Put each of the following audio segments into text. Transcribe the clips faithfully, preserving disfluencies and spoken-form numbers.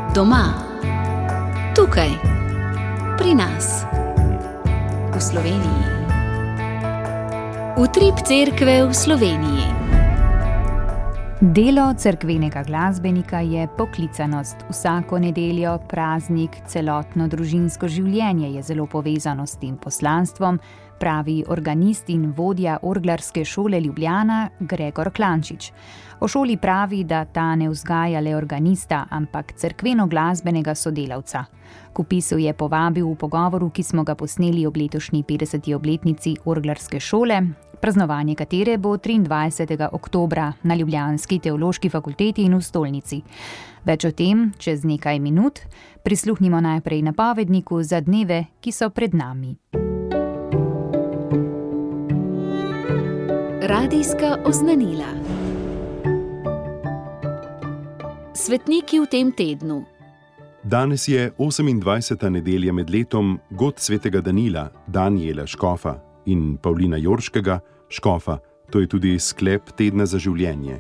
Doma, tukaj, pri nas, v Sloveniji. Utrip cerkve v Sloveniji. Delo cerkvenega glasbenika je poklicanost. Vsako nedeljo, praznik, celotno družinsko življenje je zelo povezano s tem poslanstvom, pravi organist in vodja orglarske šole Ljubljana Gregor Klančič. O šoli pravi, da ta ne vzgaja le organista, ampak cerkveno-glasbenega sodelavca. K vpisu je povabil v pogovoru, ki smo ga posneli ob letošnji petdeseti obletnici orglarske šole, praznovanje katere bo triindvajsetega oktobra na ljubljanski teološki fakulteti in v stolnici. Več o tem čez nekaj minut, prisluhnimo najprej napovedniku za dneve, ki so pred nami. Radijska oznanila. Svetniki v tem tednu. Danes je osemindvajseta nedelja med letom god svetega Danila, Danijela škofa, in Pavlina Jorškega, škofa, to je tudi sklep tedna za življenje.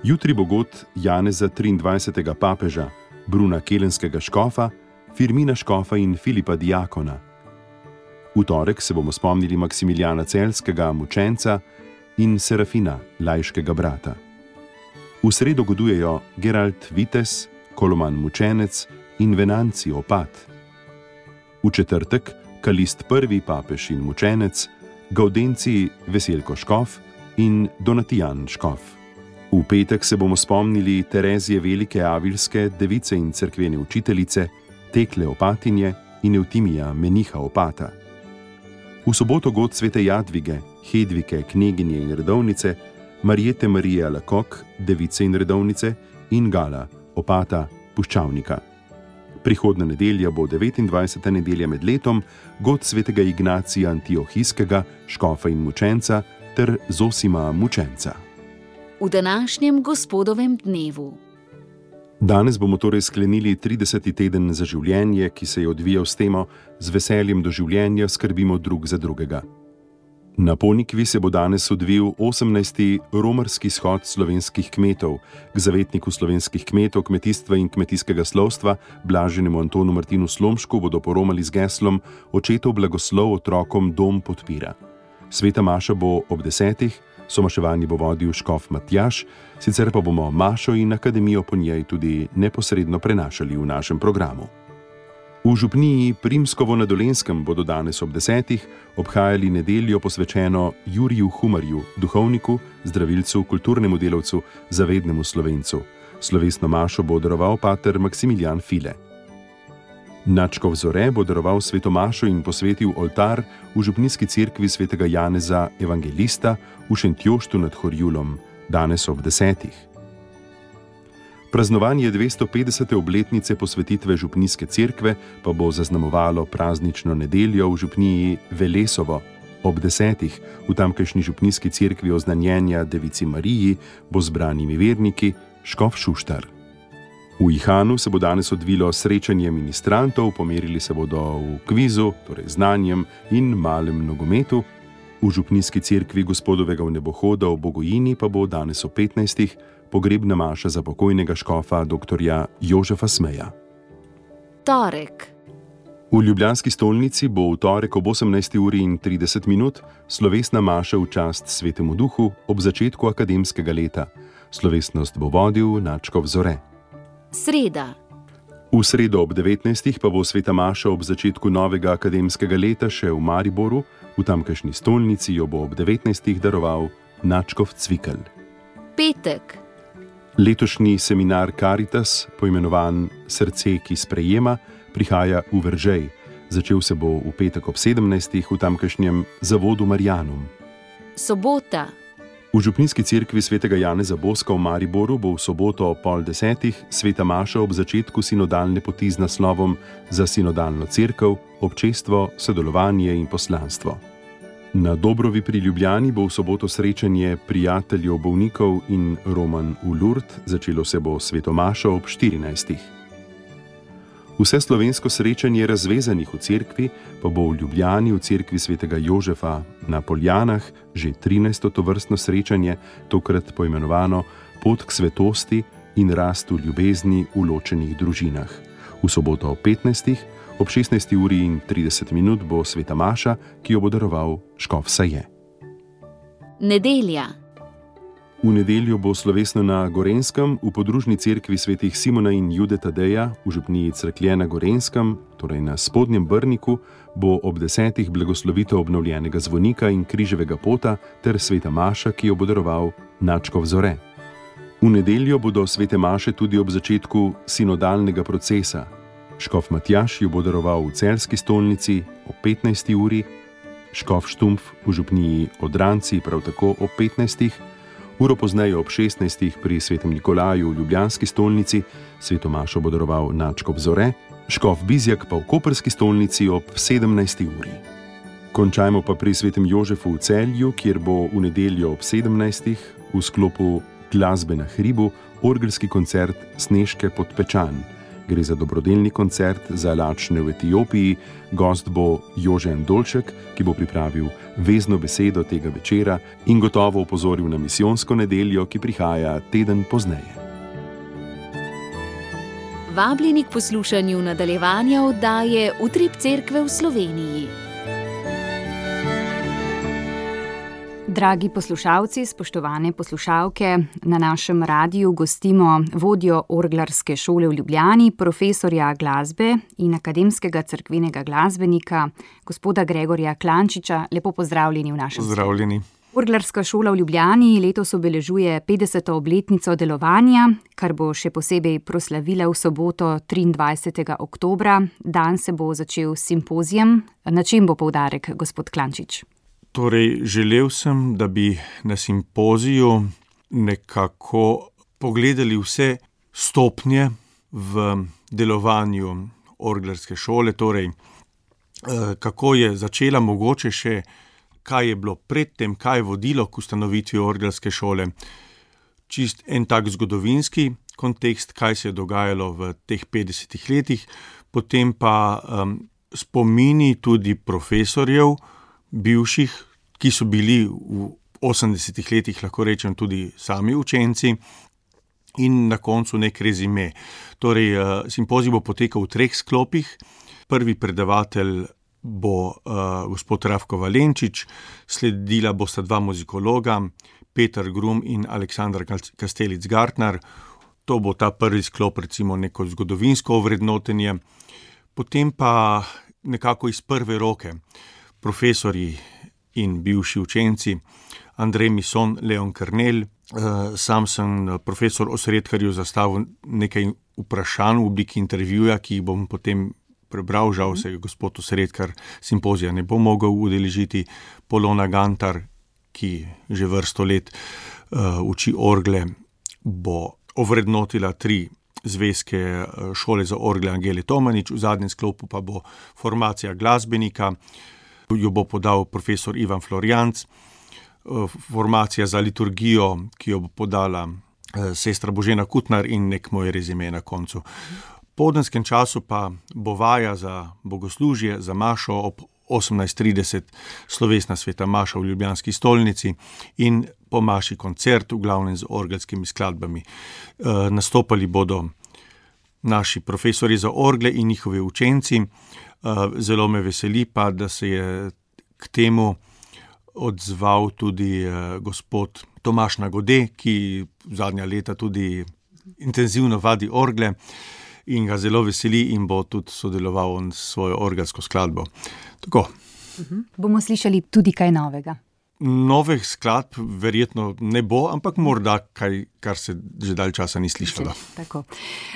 Jutri bo god Janeza triindvajsetega papeža, Bruna Kelenskega škofa, Firmina škofa in Filipa diakona. V torek se bomo spomnili Maksimiljana Celjskega, mučenca, in Serafina, laiškega brata. V sredo godujejo Gerald Vites, Koloman mučenec in Venanci opat. V četrtek Kalist prvi papež in mučenec, Gaudenci Veselko škof in Donatijan škof. V petek se bomo spomnili Terezije Velike Avilske, device in cerkvene učiteljice, Tekle opatinje in Eutimija meniha opata. V soboto god svete Jadvige, Hedvike, kneginje in redovnice, Marjete Marije Lakok, device in redovnice, in Gala, opata puščavnika. Prihodna nedelja bo devetindvajseta nedelja med letom, god svetega Ignacija Antiohijskega, škofa in mučenca, ter Zosima mučenca. V današnjem gospodovem dnevu. Danes bomo torej sklenili trideseti teden za življenje, ki se je odvijal s temo Z veseljem do življenja skrbimo drug za drugega. Na Ponikvi se bo danes odvil osemnajsti romarski shod slovenskih kmetov. K zavetniku slovenskih kmetov, kmetijstva in kmetijskega slovstva, blaženemu Antonu Martinu Slomšku, bodo poromali z geslom Očetov blagoslov otrokom dom podpira. Sveta maša bo ob desetih, somaševanje bo vodil škof Matjaž, sicer pa bomo mašo in akademijo po njej tudi neposredno prenašali v našem programu. V župniji Primskovo na Dolenjskem bodo danes ob desetih obhajali nedeljo posvečeno Juriju Humarju, duhovniku, zdravilcu, kulturnemu delavcu, zavednemu Slovencu. Slovesno mašo bo daroval pater Maksimilijan File. Nadškof Zore bo daroval sveto mašo in posvetil oltar v župnijski cerkvi svetega Janeza Evangelista v Šentjoštu nad Horjulom, danes ob desetih. Praznovanje dvestopetdesete obletnice posvetitve župnijske cerkve pa bo zaznamovalo praznično nedeljo v župniji Velesovo. Ob desetih v tamkajšnji župnijski cerkvi oznanjenja Devici Mariji bo zbranimi verniki škof Šuštar. V Ihanu se bo danes odvilo srečanje ministrantov, pomerili se bodo v kvizu, torej znanjem in malem nogometu. V župnijski cerkvi gospodovega vnebohoda v Bogojini pa bo danes ob petnajstih pogrebna maša za pokojnega škofa doktorja Jožefa Smeja. Torek. V ljubljanski stolnici bo v torek ob osemnajsti uri in trideset minut slovesna maša v čast svetemu duhu ob začetku akademskega leta. Slovesnost bo vodil nadškof Zore. Sreda. V sredo ob devetnajstih pa bo sveta maša ob začetku novega akademskega leta še v Mariboru, v tamkajšnji stolnici jo bo ob devetnajstih daroval nadškof Cvikl. Petek. Letošnji seminar Caritas, poimenovan Srce, ki sprejema, prihaja v Veržej. Začel se bo v petek ob sedemnajstih v tamkajšnjem zavodu Marianum. Sobota. V župnijski cerkvi svetega Janeza Boska v Mariboru bo v soboto ob pol desetih sveta maša ob začetku sinodalne poti z naslovom Za sinodalno cerkev, občestvo, sodelovanje in poslanstvo. Na Dobrovi pri Ljubljani bo v soboto srečanje prijateljev bolnikov in roman v Lourdes, začelo se bo sveto mašo ob štirinajstih. Vse slovensko srečanje razvezanih v cerkvi pa bo v Ljubljani v cerkvi svetega Jožefa na Poljanah že trinajsto tovrstno srečanje, tokrat poimenovano Pot k svetosti, in rast v ljubezni v ločenih družinah. V soboto ob petnajstih, ob šestnajsti uri in trideset minut bo sveta maša, ki jo bo daroval škof Saje. Nedelja. V nedeljo bo slovesno na Gorenjskem v podružni cerkvi svetih Simona in Jude Tadeja v župniji Cerklje na Gorenjskem, torej na Spodnjem Brniku, bo ob desetih blagoslovitev obnovljenega zvonika in križevega pota ter sveta maša, ki jo bo daroval nadškof Zore. V nedeljo bodo svete maše tudi ob začetku sinodalnega procesa. Škof Matjaž jo bo daroval v Celjski stolnici ob petnajsti uri, škof Štumpf v župniji Odranci prav tako ob petnajstih, uro pozneje ob šestnajstih pri svetem Nikolaju v ljubljanski stolnici, sveto mašo bo daroval nadškof Zore, škof Bizjak pa v koprski stolnici ob sedemnajsti uri. Končajmo pa pri svetem Jožefu v Celju, kjer bo v nedeljo ob sedemnajstih v sklopu glasbe na hribu orgelski koncert Snežke pod Pečan. Gre za dobrodelni koncert za lačne v Etiopiji, gost bo Jože Dolček, ki bo pripravil vezno besedo tega večera in gotovo opozoril na misijonsko nedeljo, ki prihaja teden pozneje. Vabljeni k poslušanju nadaljevanja oddaje Utrip cerkve v Sloveniji. Dragi poslušalci, spoštovane poslušalke, na našem radiju gostimo vodjo orglarske šole v Ljubljani, profesorja glasbe in akademskega cerkvenega glasbenika, gospoda Gregorja Klančiča. Lepo pozdravljeni v našem studiu. Pozdravljeni. Orglarska šola v Ljubljani letos obeležuje petdeseto obletnico delovanja, kar bo še posebej proslavila v soboto triindvajsetega oktobra. Dan se bo začel s simpozijem. Na čem bo poudarek, gospod Klančič? Torej, želel sem, da bi na simpoziju nekako pogledali vse stopnje v delovanju orglarske šole, torej kako je začela, mogoče še kaj je bilo predtem, kaj je vodilo k ustanovitvi orglarske šole. Čist en tak zgodovinski kontekst, kaj se je dogajalo v teh petdesetih letih, potem pa um, spomini tudi profesorjev, bivših, ki so bili v osemdesetih letih, lahko rečem, tudi sami učenci, in na koncu nek rezime. Torej, simpozij bo potekal v treh sklopih. Prvi predavatelj bo uh, gospod Rafko Valenčič, sledila bosta dva muzikologa, Peter Grum in Aleksandar Kastelic-Gartner. To bo ta prvi sklop, recimo neko zgodovinsko ovrednotenje. Potem pa nekako iz prve roke profesorji in bivši učenci, Andrej Mison, Leon Kernel. Sam sem profesor Osredkarju zastavil nekaj vprašanj v obliki intervjuja, ki jih bom potem prebral. Žal se gospod Osredkar simpozija ne bo mogel udeležiti. Polona Gantar, ki že vrsto let uh, uči orgle, bo ovrednotila tri zvezke šole za orgle Angele Tomanič, v zadnjem sklopu pa bo formacija glasbenika, jo bo podal profesor Ivan Florjanc, formacija za liturgijo, ki jo bo podala sestra Božena Kutnar in nek moj rezime na koncu. V popoldanskem času pa bo vaja za bogoslužje, za mašo ob osemnajst trideset, slovesna sveta maša v ljubljanski stolnici in po maši koncert, v glavnem z orgelskimi skladbami. E, nastopali bodo naši profesori za orgle in njihovi učenci. Zelo me veseli pa, da se je k temu odzval tudi gospod Tomaž Nagode, ki zadnja leta tudi intenzivno vadi orgle in ga zelo veseli in bo tudi sodeloval s svojo orgelsko skladbo. Tako. Uh-huh. Bomo slišali tudi kaj novega. Novih skladb verjetno ne bo, ampak morda kaj, kar se že dalj časa ni slišalo. Tako.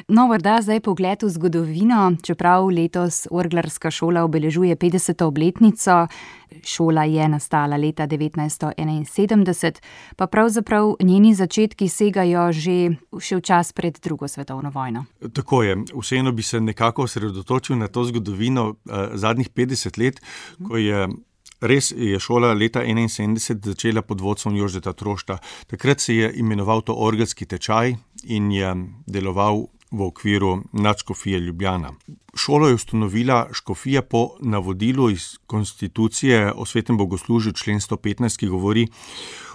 No, morda zdaj pogled v zgodovino, čeprav letos orglarska šola obeležuje petdeseto obletnico. Šola je nastala leta devetnajststo enainsedemdeset, pa pravzaprav njeni začetki segajo že še v čas pred drugo svetovno vojno. Tako je. Vseeno bi se nekako osredotočil na to zgodovino eh, zadnjih petdeset let, ko je res je šola leta enainsedemdeset začela pod vodstvom Jožeta Trošta. Takrat se je imenoval to orgelski tečaj in je deloval v okviru nadškofije Ljubljana. Šolo je ustanovila škofija po navodilu iz konstitucije o svetem bogoslužju, člen sto petnajst, ki govori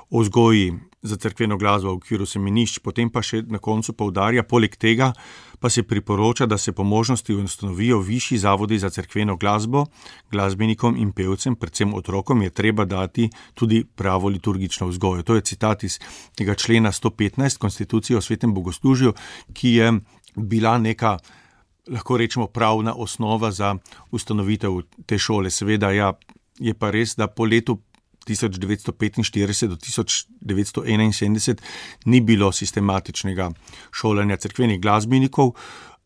o vzgoji za cerkveno glasbo v okviru semenišč, potem pa še na koncu poudarja, poleg tega pa se priporoča, da se po možnosti ustanovijo višji zavodi za cerkveno glasbo, glasbenikom in pevcem, predvsem otrokom, je treba dati tudi pravo liturgično vzgojo. To je citat iz tega člena sto petnajst Konstitucije o svetem bogoslužju, ki je bila neka, lahko rečemo, pravna osnova za ustanovitev te šole. Seveda, ja, je pa res, da po letu tisoč devetsto petinštirideset do tisoč devetsto enainsedemdeset ni bilo sistematičnega šolanja cerkvenih glasbenikov.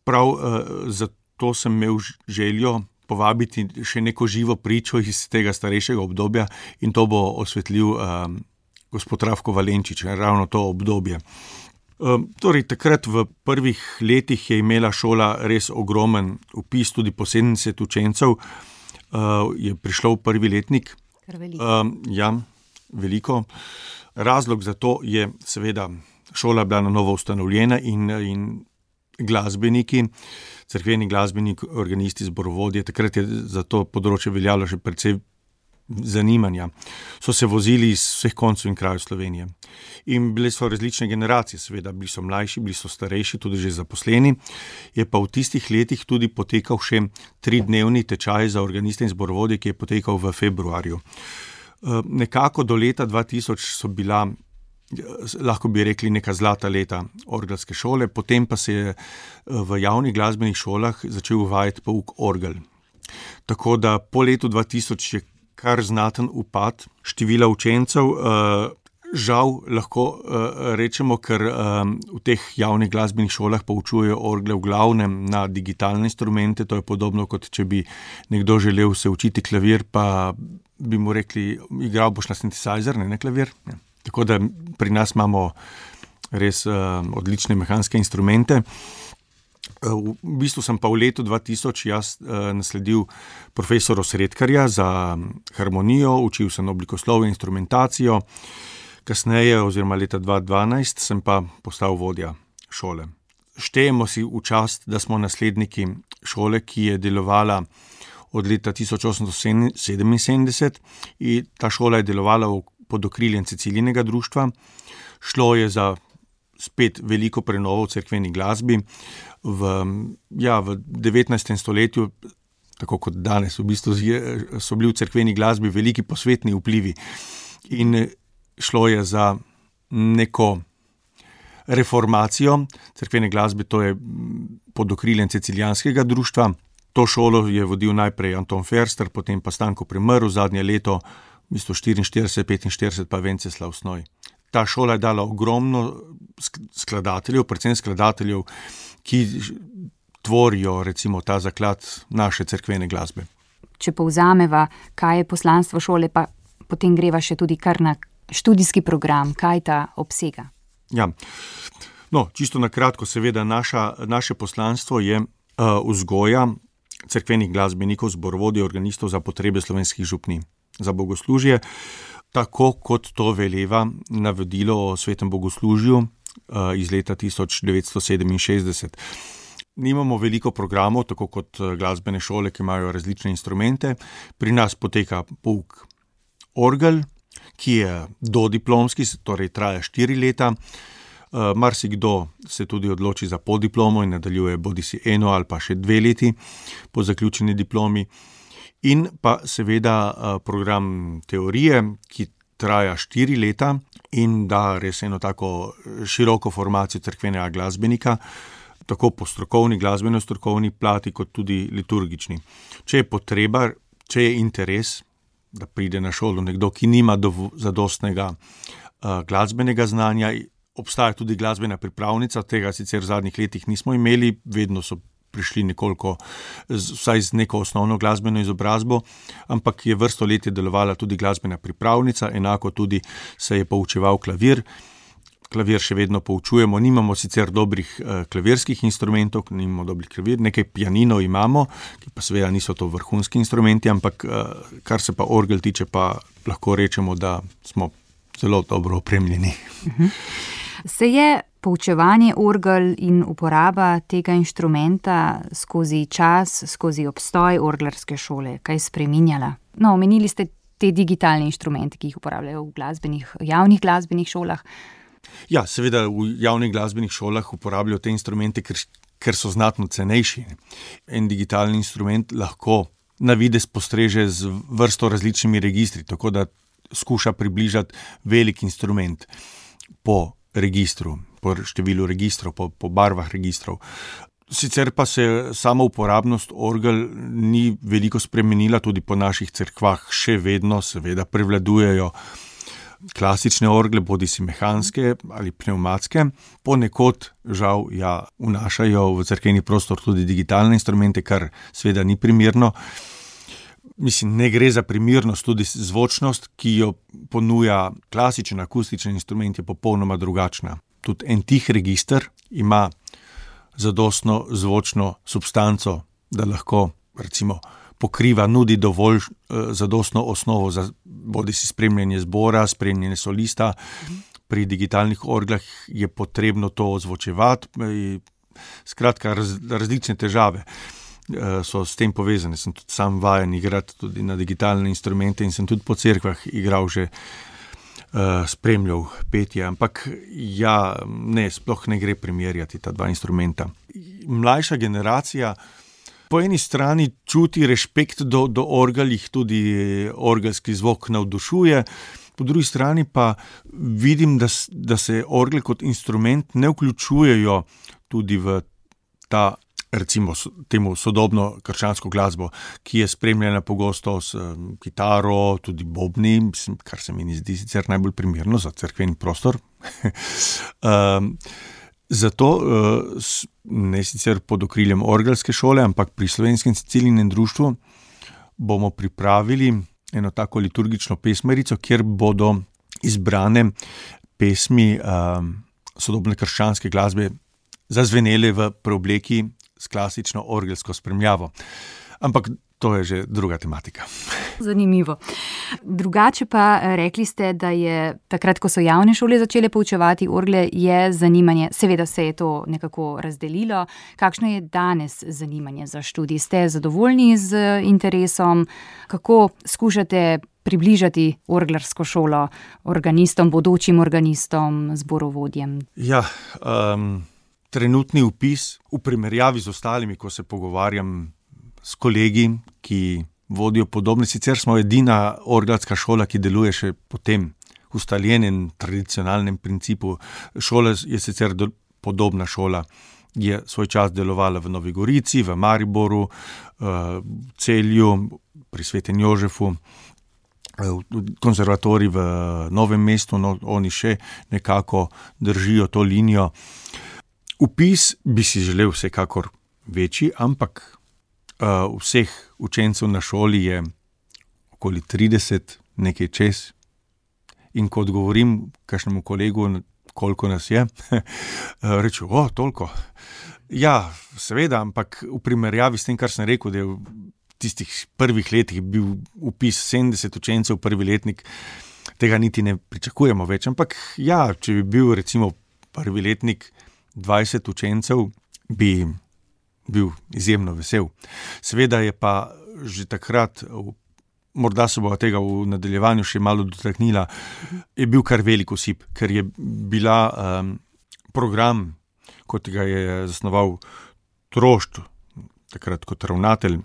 Prav eh, zato sem imel željo povabiti še neko živo pričo iz tega starejšega obdobja in to bo osvetlil eh, gospod Rafko Valenčič, ravno to obdobje. Eh, torej, takrat v prvih letih je imela šola res ogromen vpis, tudi po sedemdeset učencev eh, je prišlo v prvi letnik. Um, ja, veliko. Razlog za to je seveda šola bila na novo ustanovljena in, in glasbeniki, cerkveni glasbeniki, organisti, zborovodje, takrat je za to področje veljalo še precej zanimanja. So se vozili iz vseh koncev in krajev Slovenije. In bile so različne generacije, seveda, bili so mlajši, bili so starejši, tudi že zaposleni. Je pa v tistih letih tudi potekal še tridnevni tečaj za organiste in zborovodje, ki je potekal v februarju. Nekako do leta dva tisoč so bila, lahko bi rekli, neka zlata leta orgelske šole, potem pa se je v javnih glasbenih šolah začel uvajati pouk orgel. Tako da po letu dva tisoč je kar znaten upad števila učencev, žal lahko rečemo, ker v teh javnih glasbenih šolah poučujejo orgle v glavnem na digitalne instrumente, to je podobno, kot če bi nekdo želel se učiti klavir, pa bi mu rekli, igral boš na synthesizer, ne na klavir. Tako da pri nas imamo res odlične mehanske instrumente. V bistvu sem pa v letu dva tisoč jaz nasledil profesora Sredkarja za harmonijo, učil sem oblikoslovje, instrumentacijo, kasneje oziroma leta dva dvanajst sem pa postal vodja šole. Štejemo si v čast, da smo nasledniki šole, ki je delovala od leta tisoč osemsto sedeminsedemdeset in ta šola je delovala pod okriljem Cecilijinega društva. Šlo je za spet veliko prenovo v cerkveni glasbi. V, ja, v devetnajstem stoletju, tako kot danes, v bistvu so bili v cerkveni glasbi veliki posvetni vplivi. In šlo je za neko reformacijo cerkvene glasbe, to je pod okriljem Cecilijanskega društva. To šolo je vodil najprej Anton Ferster, potem pa Stanko Premrl, zadnje leto, v bistvu štiriinštirideset petinštirideset pa Venceslav Snoj. Ta šola je dala ogromno skladateljev, predvsem skladateljev, ki tvorijo recimo ta zaklad naše cerkvene glasbe. Če povzameva, kaj je poslanstvo šole, pa potem greva še tudi kar na študijski program, kaj ta obsega? Ja, no, čisto na kratko, seveda naša, naše poslanstvo je uh, vzgoja cerkvenih glasbenikov, zborovodij, organistov za potrebe slovenskih župnij, za bogoslužje, tako kot to veleva navodilo o svetem bogoslužju uh, iz leta tisoč devetsto sedeminšestdeset. Nimamo veliko programov, tako kot glasbene šole, ki imajo različne instrumente. Pri nas poteka pouk orgel, ki je dodiplomski, torej traja štiri leta. Uh, marsikdo se tudi odloči za podiplomo in nadaljuje bodisi eno ali pa še dve leti po zaključeni diplomi. In pa seveda uh, program teorije, ki traja štiri leta in da res eno tako široko formacijo cerkvenega glasbenika, tako po strokovni, glasbeno-strokovni plati, kot tudi liturgični. Če je potreba, če je interes, da pride na šolo nekdo, ki nima dovo, zadostnega uh, glasbenega znanja, obstaja tudi glasbena pripravnica, tega sicer v zadnjih letih nismo imeli, vedno so prišli nekoliko, vsaj z neko osnovno glasbeno izobrazbo, ampak je vrsto let je delovala tudi glasbena pripravnica, enako tudi se je poučeval klavir. Klavir še vedno poučujemo, nimamo sicer dobrih eh, klavirskih instrumentov, nimamo dobrih klavir, nekaj pianinov imamo, ki pa seveda niso to vrhunski instrumenti, ampak eh, kar se pa orgel tiče, pa lahko rečemo, da smo zelo dobro opremljeni. Se je poučevanje orgel in uporaba tega inštrumenta skozi čas, skozi obstoj orglarske šole kaj spreminjala? No, omenili ste te digitalne inštrumente, ki jih uporabljajo v glasbenih, javnih glasbenih šolah? Ja, seveda v javnih glasbenih šolah uporabljajo te instrumente, ker, ker so znatno cenejši. En digitalni instrument lahko na videz postreže z vrsto različnimi registri, tako da skuša približati velik instrument po registru, po številu registrov, po, po barvah registrov. Sicer pa se sama uporabnost orgel ni veliko spremenila, tudi po naših cerkvah še vedno seveda prevladujejo klasične orgle, bodisi mehanske ali pnevmatske. Ponekod žal ja, vnašajo v cerkveni prostor tudi digitalne instrumente, kar seveda ni primerno. Mislim, ne gre za primernost, tudi zvočnost, ki jo ponuja klasičen akustičen instrument, je popolnoma drugačna. Tudi en tih register ima zadostno zvočno substanco, da lahko recimo pokriva, nudi dovolj eh, zadostno osnovo za bodisi spremljanje zbora, spremljanje solista. Pri digitalnih orglah je potrebno to ozvočevati. Skratka, raz, različne težave eh, so s tem povezane. Sem tudi sam vajen igrati tudi na digitalne instrumente in sem tudi po cerkvah igral že Uh, spremljal petje, ampak ja, ne, sploh ne gre primerjati ta dva instrumenta. Mlajša generacija po eni strani čuti rešpekt do, do orgel, jih tudi orgelski zvok navdušuje, po drugi strani pa vidim, da, da se orgle kot instrument ne vključujejo tudi v ta, recimo temu sodobno krščansko glasbo, ki je spremljena pogosto s um, kitaro, tudi bobni, kar se mi ne zdi sicer najbolj primerno za cerkveni prostor. um, zato uh, ne sicer pod okriljem orgelske šole, ampak pri Slovenskem Cecilinem društvu bomo pripravili eno tako liturgično pesmerico, kjer bodo izbrane pesmi um, sodobne krščanske glasbe zazvenele v preobleki s klasično orgelsko spremljavo. Ampak to je že druga tematika. Zanimivo. Drugače pa rekli ste, da je takrat, ko so javne šole začele poučevati orgle, je zanimanje, seveda se je to nekako razdelilo. Kakšno je danes zanimanje za študij? Ste zadovoljni z interesom? Kako skušate približati orglarsko šolo organistom, bodočim organistom, zborovodjem? Ja, um... Trenutni vpis v primerjavi z ostalimi, ko se pogovarjam s kolegi, ki vodijo podobne, sicer smo edina orgelska šola, ki deluje še po tem ustaljenem tradicionalnem principu. Šola je sicer do, podobna šola, je svoj čas delovala v Novi Gorici, v Mariboru, v Celju, pri Svetem Jožefu, konzervatorij v Novem mestu, no, oni še nekako držijo to linijo. Vpis bi si želel vsekakor večji, ampak uh, vseh učencev na šoli je okoli trideset, nekaj čez. In ko odgovorim kakšnemu kolegu, koliko nas je, rečem, o, toliko. Ja, seveda, ampak v primerjavi s tem, kar sem rekel, da je v tistih prvih letih bil vpis sedemdeset učencev, prvi letnik, tega niti ne pričakujemo več. Ampak ja, če bi bil recimo prvi letnik dvajset učencev, bi bil izjemno vesel. Seveda je pa že takrat, morda se bo tega v nadaljevanju še malo dotaknila, je bil kar velik osip, ker je bila um, program, kot ga je zasnoval Trošt, takrat kot ravnatelj,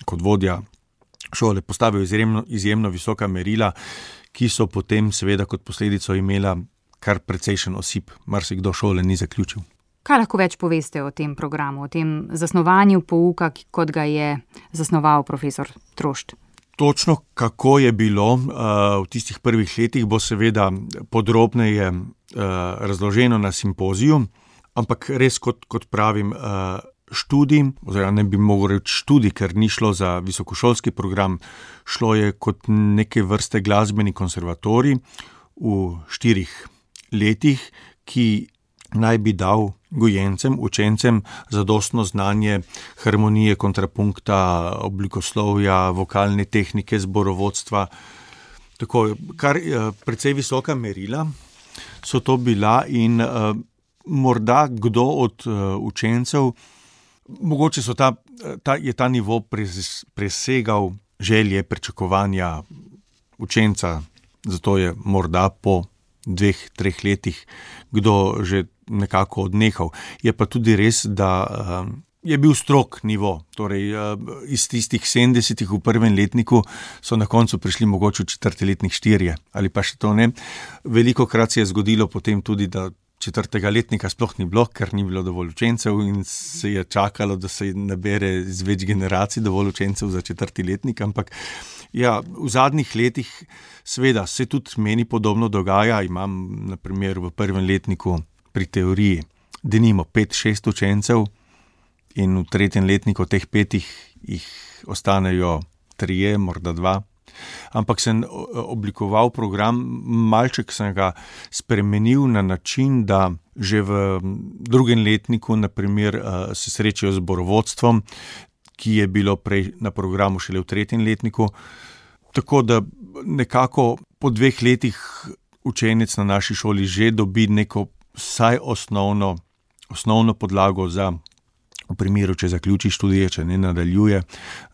kot vodja šole, postavil izjemno, izjemno visoka merila, ki so potem seveda kot posledico imela kar precejšen osip, marsikdo šole ni zaključil. Kaj lahko več poveste o tem programu, o tem zasnovanju pouka, kot ga je zasnoval profesor Trošt? Točno kako je bilo uh, v tistih prvih letih, bo seveda podrobneje uh, razloženo na simpoziju, ampak res, kot, kot pravim, uh, študij, oziroma ne bi mogel reči študij, ker ni šlo za visokošolski program, šlo je kot neke vrste glasbeni konservatorij v štirih letih, ki naj bi dal gojencem, učencem zadostno znanje harmonije, kontrapunkta, oblikoslovja, vokalne tehnike, zborovodstva. Tako, kar precej visoka merila so to bila in uh, morda kdo od uh, učencev, mogoče so ta, ta, je ta nivo pres, presegal želje, pričakovanja učenca, zato je morda po dveh, treh letih kdo že nekako odnehal. Je pa tudi res, da je bil strog nivo, torej iz tistih sedemdesetih v prvem letniku so na koncu prišli mogoče v četrti letnik štirje ali pa še to ne. Velikokrat se je zgodilo potem tudi, da četrtega letnika sploh ni bilo, ker ni bilo dovolj učencev in se je čakalo, da se nabere z več generacij dovolj učencev za četrti letnik, ampak ja, v zadnjih letih seveda se tudi meni podobno dogaja. Imam na primer v prvem letniku pri teoriji denimo pet, šest učencev in v tretjem letniku teh petih jih ostanejo trije, morda dva. Ampak sem oblikoval program, malček sem ga spremenil na način, da že v drugem letniku na primer se srečajo z zborovodstvom, ki je bilo prej na programu šele v tretjem letniku. Tako da nekako po dveh letih učenec na naši šoli že dobi neko vsaj osnovno, osnovno podlago za, v primeru, če zaključi študije, če ne nadaljuje,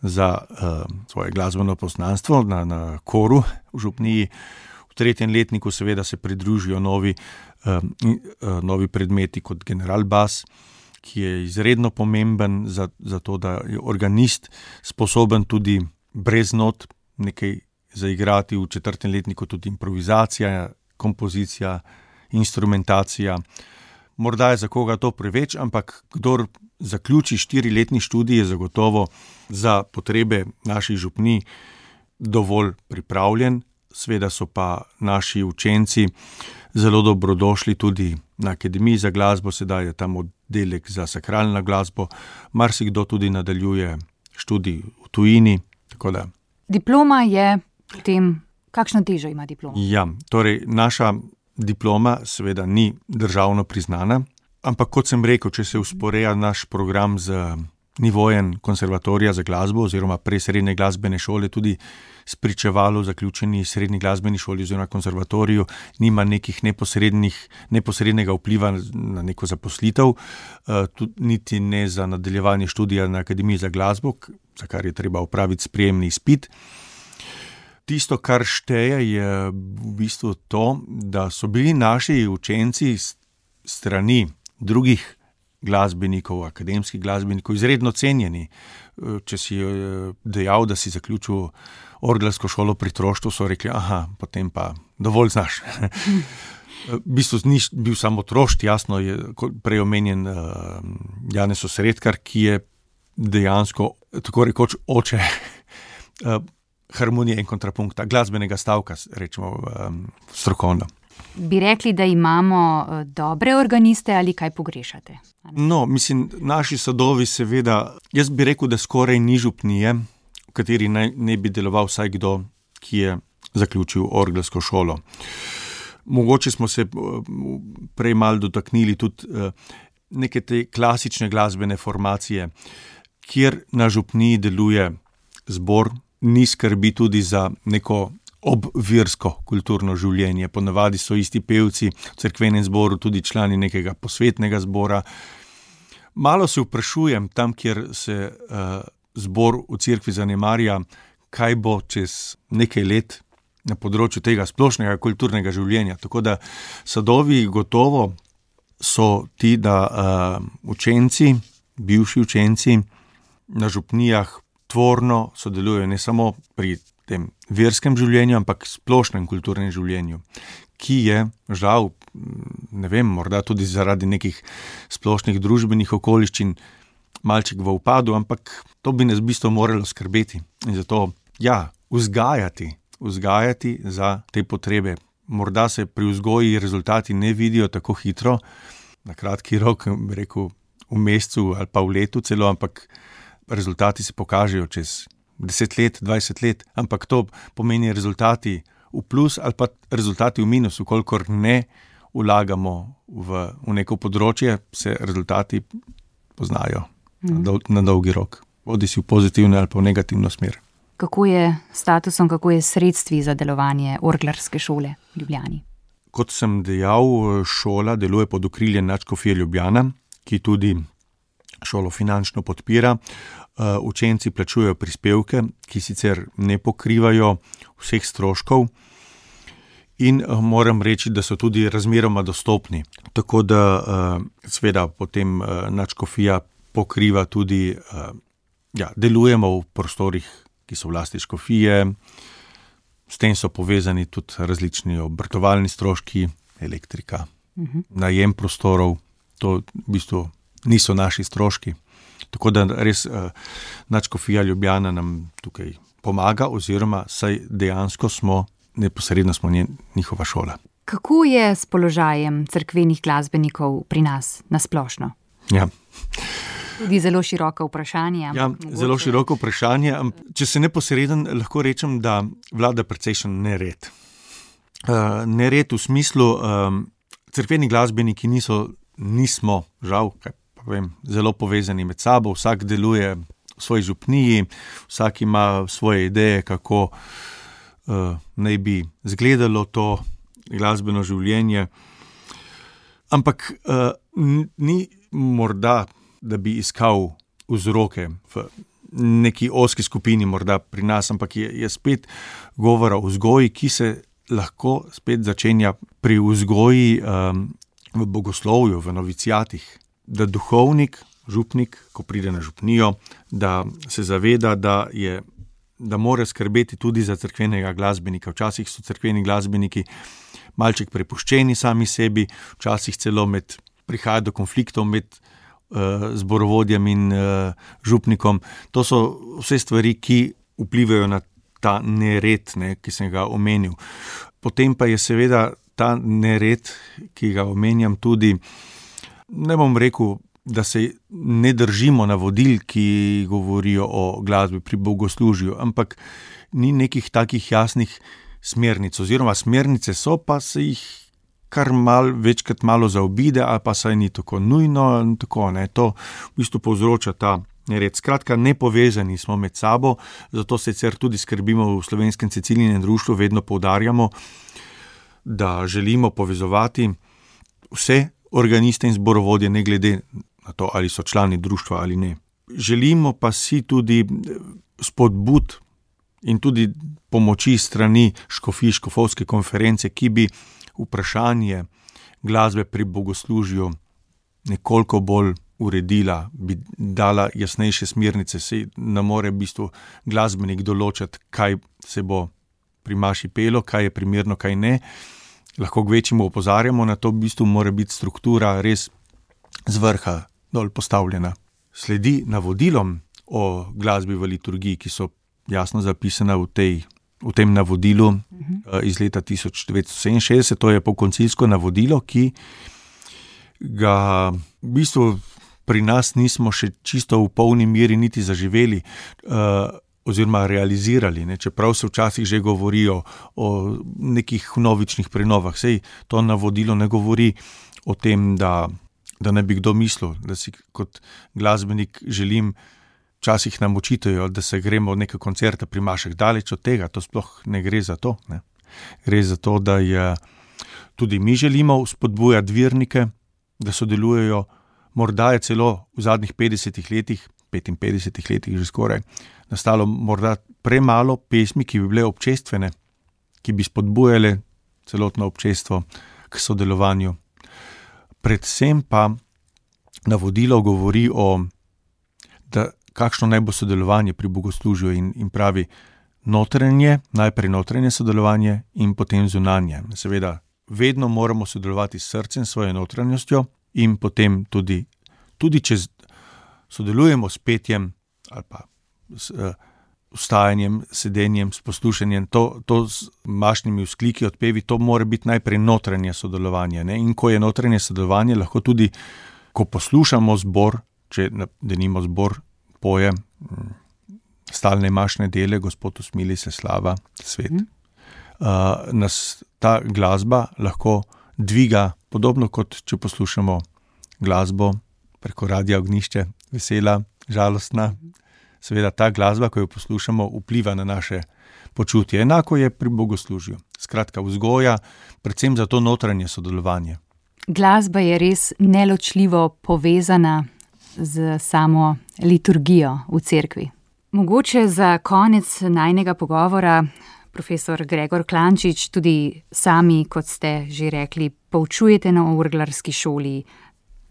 za uh, svoje glasbeno poznanstvo na, na koru v župniji. V tretjem letniku seveda se pridružijo novi, uh, uh, novi predmeti kot generalbas, ki je izredno pomemben za, za to, da je organist sposoben tudi brez not nekaj zaigrati. V četrtem letniku tudi improvizacija, kompozicija, instrumentacija. Morda je za koga to preveč, ampak kdor zaključi štiriletni študij, je zagotovo za potrebe naših župnij dovolj pripravljen. Sveda so pa naši učenci zelo dobrodošli tudi na Akademiji za glasbo, sedaj je tam oddelek za sakralno glasbo, marsikdo tudi nadaljuje študij v tujini, tako da. Diploma je potem, kakšno težo ima diploma? Ja, torej naša diploma seveda ni državno priznana, ampak kot sem rekel, če se usporeja naš program z nivojem konservatorija za glasbo oziroma prej srednje glasbene šole, tudi spričevalo zaključeni srednji glasbeni šoli oziroma konservatoriju, nima nekih neposrednih, neposrednega vpliva na neko zaposlitev, tudi niti ne za nadaljevanje študija na Akademiji za glasbo, za kar je treba opraviti sprejemni izpit. Tisto, kar šteje, je v bistvu to, da so bili naši učenci strani drugih glasbenikov, akademskih glasbenikov, izredno cenjeni. Če si dejal, da si zaključil orgelsko šolo pri Troštvu, so rekli, aha, potem pa dovolj znaš. V bistvu ni bil samo Trošt, jasno je prej omenjen uh, Janez Osredkar, ki je dejansko, tako rekoč, oče uh, harmonije in kontrapunkta, glasbenega stavka, rečemo um, strokovno. Bi rekli, da imamo dobre organiste ali kaj pogrešate? No, mislim, naši sadovi seveda, jaz bi rekel, da skoraj ni župnije, v kateri naj, ne bi deloval vsaj kdo, ki je zaključil orgelsko šolo. Mogoče smo se prej malo dotaknili tudi neke te klasične glasbene formacije, kjer na župniji deluje zbor, ni skrbi tudi za neko obvirsko kulturno življenje. Ponavadi so isti pevci v cerkvenem zboru tudi člani nekega posvetnega zbora. Malo se vprašujem tam, kjer se uh, zbor v cerkvi zanemarja, kaj bo čez nekaj let na področju tega splošnega kulturnega življenja. Tako da sadovi gotovo so ti, da uh, učenci, bivši učenci na župnijah tvorno sodelujejo ne samo pri tem verskem življenju, ampak splošnem kulturnem življenju, ki je žal, ne vem, morda tudi zaradi nekih splošnih družbenih okoliščin malček v upadu, ampak to bi nas v bistvu moralo skrbeti. In zato, ja, vzgajati, vzgajati za te potrebe. Morda se pri vzgoji rezultati ne vidijo tako hitro, na kratki rok, bi rekel, v mesecu ali pa v letu celo, ampak rezultati se pokažejo čez deset let, dvajset let, ampak to pomeni rezultati v plus ali pa rezultati v minus, ukolikor ne vlagamo v, v neko področje, se rezultati poznajo mm. na, dol, na dolgi rok, bodi si v pozitivno ali pa v negativno smer. Kako je statusom, kako je sredstvi za delovanje orglarske šole v Ljubljani? Kot sem dejal, šola deluje pod okriljem Nadškofije Ljubljana, ki tudi šolo finančno podpira. Učenci plačujejo prispevke, ki sicer ne pokrivajo vseh stroškov, in moram reči, da so tudi razmeroma dostopni. Tako da seveda potem nadškofija pokriva tudi, ja, delujemo v prostorih, ki so v lasti škofije, s tem so povezani tudi različni obratovalni stroški, elektrika, uh-huh. najem prostorov, to v bistvu niso naši stroški. Tako da res nadškofija Ljubljana nam tukaj pomaga, oziroma saj dejansko smo, neposredno smo njihova šola. Kako je s položajem cerkvenih glasbenikov pri nas nasplošno? Ja. Tudi zelo široko vprašanje. Ja, mogoče... zelo široko vprašanje. Če se neposreden, lahko rečem, da vlada precejšen nered. Uh, nered v smislu, um, cerkveni glasbeniki niso, nismo, žal, kaj pa vem, zelo povezani med sabo, vsak deluje v svoji župniji, vsak ima svoje ideje, kako uh, naj bi izgledalo to glasbeno življenje. Ampak uh, ni morda, da bi iskal vzroke v neki ozki skupini, morda pri nas, ampak je, je spet govora o vzgoji, ki se lahko spet začenja pri vzgoji um, v bogoslovju, v novicijatih, da duhovnik, župnik, ko pride na župnijo, da se zaveda, da je, da mora skrbeti tudi za cerkvenega glasbenika. Včasih so cerkveni glasbeniki malček prepuščeni sami sebi, včasih celo med, prihaja do konfliktov med zborovodjem in uh, župnikom. To so vse stvari, ki vplivajo na ta nered, ne, ki sem ga omenil. Potem pa je seveda ta nered, ki ga omenjam tudi, ne bom rekel, da se ne držimo navodil, ki govorijo o glasbi pri bogoslužju, ampak ni nekih takih jasnih smernic, oziroma smernice so, pa se jih kar mal, večkrat malo zaobide, ali pa saj ni tako nujno, tako, ne, to v bistvu povzroča ta nered. Skratka, nepovezani smo med sabo, zato sicer tudi skrbimo v Slovenskem Cecilinem društvu, vedno poudarjamo, da želimo povezovati vse organiste in zborovodje, ne glede na to, ali so člani društva ali ne. Želimo pa si tudi spodbud in tudi pomoči strani škofij, škofovske konference, ki bi vprašanje glasbe pri bogoslužju nekoliko bolj uredila, bi dala jasnejše smernice, se ne more v bistvu glasbenik določati, kaj se bo pri maši pelo, kaj je primerno, kaj ne. Lahko kvečjemu opozarjamo na to, v bistvu mora biti struktura res z vrha dol postavljena. Sledi navodilom o glasbi v liturgiji, ki so jasno zapisana v tej v tem navodilu uh-huh. iz leta tisoč devetsto sedeminšestdeset, to je pokoncilsko navodilo, ki ga v bistvu pri nas nismo še čisto v polni meri niti zaživeli uh, oziroma realizirali, ne? Čeprav se včasih že govorijo o nekih novičnih prenovah. Sej to navodilo ne govori o tem, da, da ne bi kdo mislil, da si kot glasbenik želim. Včasih nam očitajo, da se gremo v neke koncerte pri mašah, daleč od tega, to sploh ne gre za to. Ne. Gre za to, da je, tudi mi želimo spodbujati vernike, da sodelujejo. Morda je celo v zadnjih petdesetih letih, petinpetdesetih letih že skoraj, nastalo morda premalo pesmi, ki bi bile občestvene, ki bi spodbujale celotno občestvo k sodelovanju. Predvsem pa navodilo govori o, da kakšno naj bo sodelovanje pri bogoslužju in, in pravi notranje, najprej notranje sodelovanje in potem zunanje. Seveda, vedno moramo sodelovati s srcem, svojo notranjostjo in potem tudi, tudi če sodelujemo s petjem ali pa s uh, vstajanjem, sedenjem, s poslušanjem, to, to z mašnimi vzkliki, odpevi, to mora biti najprej notranje sodelovanje. Ne? In ko je notranje sodelovanje, lahko tudi, ko poslušamo zbor, če denimo zbor poje stalne mašne dele, Gospod usmili se, slava, svet. Mm. Uh, nas ta glasba lahko dviga, podobno kot če poslušamo glasbo preko radia Ognjišče, vesela, žalostna. Seveda ta glasba, ko jo poslušamo, vpliva na naše počutje. Enako je pri bogoslužju. Skratka, vzgoja, predvsem za to notranje sodelovanje. Glasba je res neločljivo povezana z samo liturgijo v cerkvi. Mogoče za konec najnega pogovora, profesor Gregor Klančič, tudi sami, kot ste že rekli, poučujete na orglarski šoli.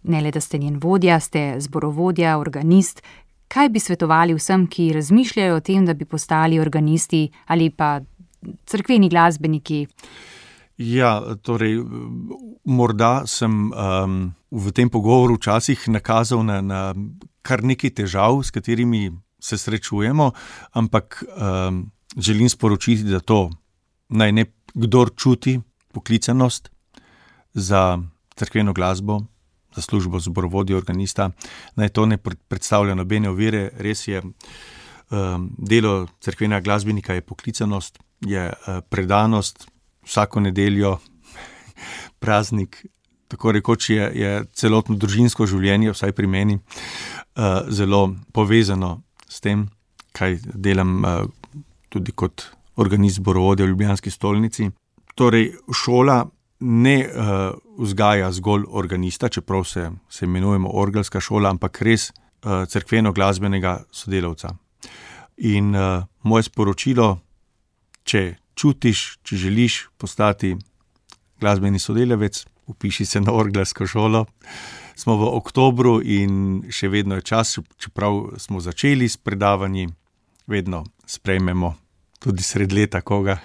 Ne le, da ste njen vodja, ste zborovodja, organist. Kaj bi svetovali vsem, ki razmišljajo o tem, da bi postali organisti ali pa cerkveni glasbeniki? Ja, torej, morda sem um, v tem pogovoru včasih nakazal na, na kar nekaj težav, s katerimi se srečujemo, ampak um, želim sporočiti, da to naj ne kdor čuti poklicanost za cerkveno glasbo, za službo zborovodja organista, naj to ne predstavlja nobene ovire. Res je, um, delo cerkvenega glasbenika je poklicanost, je uh, predanost, vsako nedeljo praznik, tako rekoč je, je celotno družinsko življenje, vsaj pri meni, uh, zelo povezano s tem, kaj delam uh, tudi kot organist zborovodja v ljubljanski stolnici. Torej, šola ne uh, vzgaja zgolj organista, čeprav se, se imenujemo orgelska šola, ampak res uh, cerkveno-glasbenega sodelavca. In uh, moje sporočilo, če čutiš, če želiš postati glasbeni sodelavec, upiši se na orgelsko šolo. Smo v oktobru in še vedno je čas, čeprav smo začeli s predavanji, vedno sprejmemo tudi sred leta koga,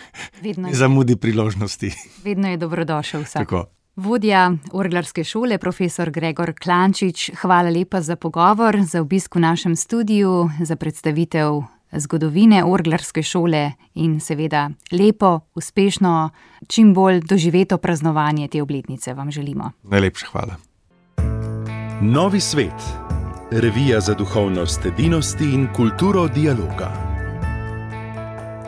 ne zamudi priložnosti. Vedno je dobrodošel vsak. Tako. Vodja orglarske šole, profesor Gregor Klančič, hvala lepa za pogovor, za obisk v našem studiu, za predstavitev zgodovine orglarske šole in seveda lepo, uspešno, čim bolj doživeto praznovanje te obletnice vam želimo. Najlepša hvala. Novi svet. Revija za duhovnost edinosti in kulturo dialoga.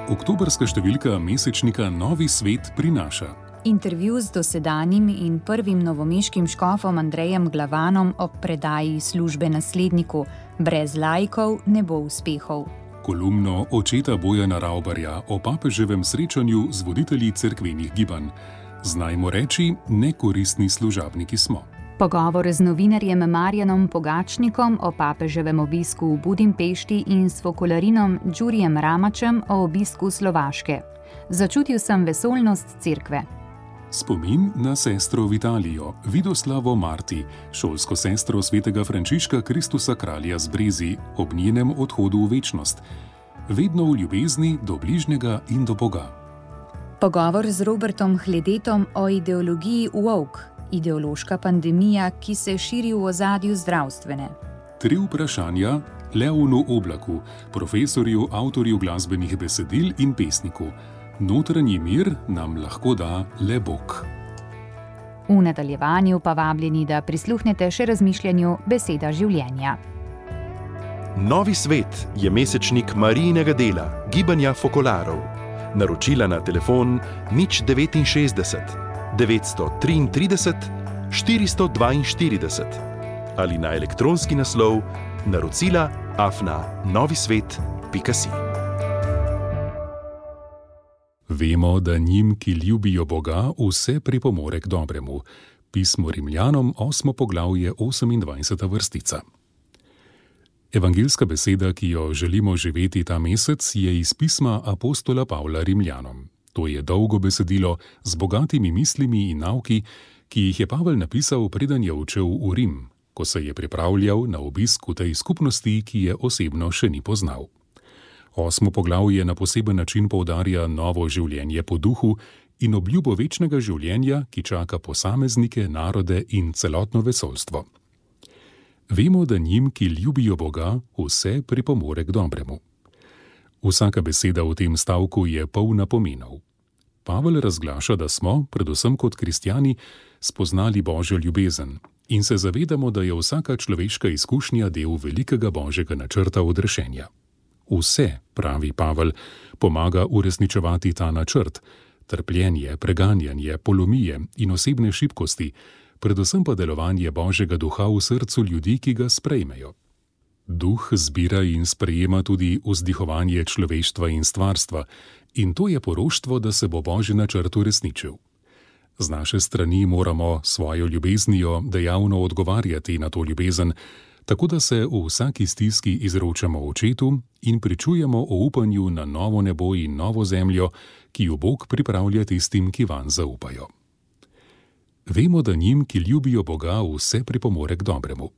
Oktobrska številka mesečnika Novi svet prinaša intervju z dosedanjim in prvim novomeškim škofom Andrejem Glavanom ob predaji službe nasledniku. Brez laikov ne bo uspehov. Kolumno očeta Bojana Ravbarja o papeževem srečanju z voditelji cerkvenih gibanj. Znajmo reči, nekoristni služabniki smo. Pogovor z novinarjem Marjanom Pogačnikom o papeževem obisku v Budimpešti in s fokolarinom Đurijem Ramačem o obisku Slovaške. Začutil sem vesoljnost cerkve. Spomin na sestro Vitalijo, Vidoslavo Marti, šolsko sestro svetega Frančiška Kristusa kralja z Brezi, ob njenem odhodu v večnost. Vedno v ljubezni do bližnjega in do Boga. Pogovor z Robertom Hledetom o ideologiji woke, ideološka pandemija, ki se širi v ozadju zdravstvene. Tri vprašanja Leonu Oblaku, profesorju, avtorju glasbenih besedil in pesniku. Notranji mir nam lahko da le Bog. V nadaljevanju pa vabljeni, da prisluhnete še razmišljanju Beseda življenja. Novi svet je mesečnik Marijinega dela, gibanja fokolarov. Naročila na telefon nič devetinšestdeset devetsto triintrideset štiristo dvainštirideset ali na elektronski naslov naročila afna novisvet pika si. Vemo, da njim, ki ljubijo Boga, vse pripomore k dobremu. Pismo Rimljanom, osmo poglavje, osemindvajseta vrstica. Evangelska beseda, ki jo želimo živeti ta mesec, je iz pisma apostola Pavla Rimljanom. To je dolgo besedilo z bogatimi mislimi in nauki, ki jih je Pavel napisal, preden je odšel v Rim, ko se je pripravljal na obisk v tej skupnosti, ki je osebno še ni poznal. Osmo poglavje na poseben način poudarja novo življenje po duhu in obljubo večnega življenja, ki čaka posameznike, narode in celotno vesoljstvo. Vemo, da njim, ki ljubijo Boga, vse pripomore k dobremu. Vsaka beseda v tem stavku je polna pomenov. Pavel razglaša, da smo, predvsem kot kristjani, spoznali Božjo ljubezen in se zavedamo, da je vsaka človeška izkušnja del velikega Božjega načrta odrešenja. Vse, pravi Pavel, pomaga uresničevati ta načrt, trpljenje, preganjanje, polomije in osebne šibkosti, predvsem pa delovanje Božjega duha v srcu ljudi, ki ga sprejmejo. Duh zbira in sprejema tudi vzdihovanje človeštva in stvarstva, in to je poroštvo, da se bo Božji načrt uresničil. Z naše strani moramo svojo ljubeznijo dejavno odgovarjati na to ljubezen, tako da se v vsaki stiski izročamo očetu in pričujemo o upanju na novo nebo in novo zemljo, ki jo Bog pripravlja tistim, ki vanj zaupajo. Vemo, da njim, ki ljubijo Boga, vse pripomore k dobremu.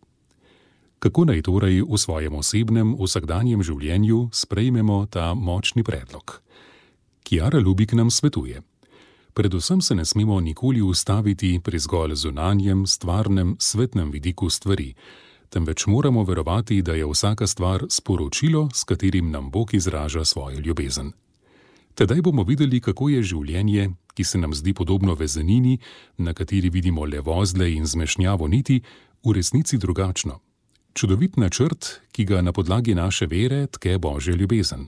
Kako naj torej v svojem osebnem, vsakdanjem življenju sprejmemo ta močni predlog? Kiara Lubik nam svetuje. Predvsem se ne smemo nikoli ustaviti pri zgolj zunanjem, stvarnem, svetnem vidiku stvari, temveč moramo verovati, da je vsaka stvar sporočilo, s katerim nam Bog izraža svojo ljubezen. Tedaj bomo videli, kako je življenje, ki se nam zdi podobno vezenini, na kateri vidimo le vozle in zmešnjavo niti, v resnici drugačno. Čudovit načrt, ki ga na podlagi naše vere tke Božja ljubezen.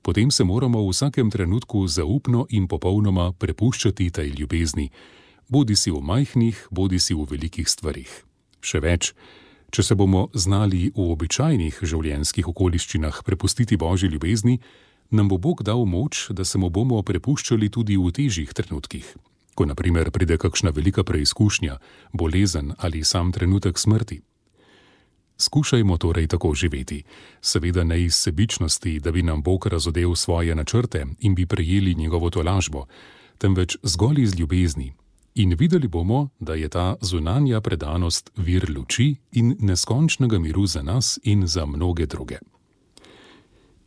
Potem se moramo v vsakem trenutku zaupno in popolnoma prepuščati tej ljubezni, bodi si v majhnih, bodi si v velikih stvarih. Še več, če se bomo znali v običajnih življenjskih okoliščinah prepustiti Božji ljubezni, nam bo Bog dal moč, da se mu bomo prepuščali tudi v težjih trenutkih, ko na primer pride kakšna velika preizkušnja, bolezen ali sam trenutek smrti. Skušajmo torej tako živeti, seveda ne iz sebičnosti, da bi nam Bog razodel svoje načrte in bi prejeli njegovo tolažbo, temveč zgolj iz ljubezni. In videli bomo, da je ta zunanja predanost vir luči in neskončnega miru za nas in za mnoge druge.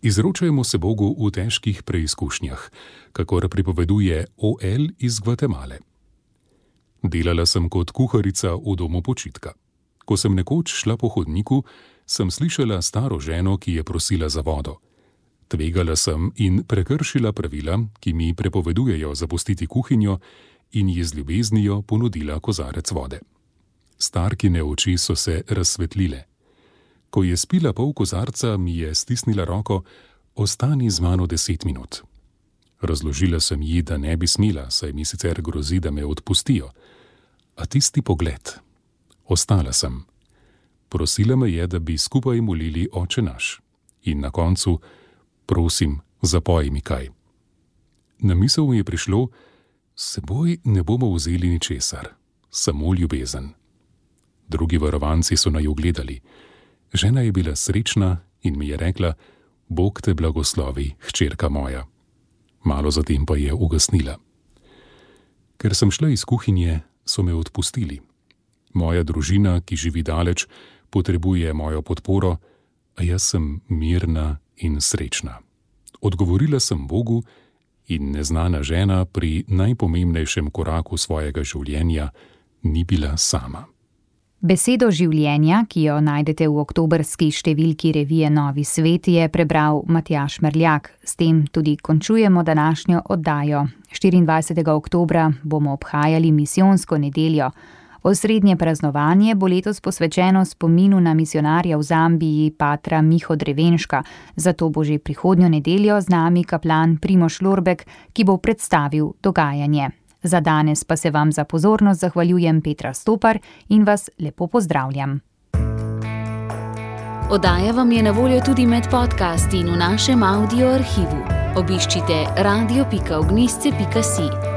Izročajmo se Bogu v težkih preizkušnjah, kakor pripoveduje O L iz Gvatemale. Delala sem kot kuharica v domu počitka. Ko sem nekoč šla po hodniku, sem slišala staro ženo, ki je prosila za vodo. Tvegala sem in prekršila pravila, ki mi prepovedujejo zapustiti kuhinjo, in ji z ljubeznijo ponudila kozarec vode. Starkine oči so se razsvetlile. Ko je spila pol kozarca, mi je stisnila roko: ostani z mano deset minut. Razložila sem ji, da ne bi smela, saj mi sicer grozi, da me odpustijo. A tisti pogled. Ostala sem. Prosila me je, da bi skupaj molili Oče naš. In na koncu: prosim, zapoj mi kaj. Na misel mi je prišlo: s seboj ne bomo vzeli ničesar, samo ljubezen. Drugi varovanci so naju gledali. Žena je bila srečna in mi je rekla: Bog te blagoslovi, hčerka moja. Malo zatem pa je ugasnila. Ker sem šla iz kuhinje, so me odpustili. Moja družina, ki živi daleč, potrebuje mojo podporo, a jaz sem mirna in srečna. Odgovorila sem Bogu in neznana žena pri najpomembnejšem koraku svojega življenja ni bila sama. Besedo življenja, ki jo najdete v oktobrski številki revije Novi svet, je prebral Matjaž Merljak. S tem tudi končujemo današnjo oddajo. štiriindvajsetega oktobra bomo obhajali misijonsko nedeljo. Osrednje praznovanje bo letos posvečeno spominu na misijonarja v Zambiji, patra Miho Drevenška. Zato bo že prihodnjo nedeljo z nami kaplan Primož Lorbek, ki bo predstavil dogajanje. Za danes pa se vam za pozornost zahvaljujem Petra Stopar in vas lepo pozdravljam. Oddaja vam je na voljo tudi med podcasti in v našem audio arhivu. Obiščite radio pika ognjišče pika si.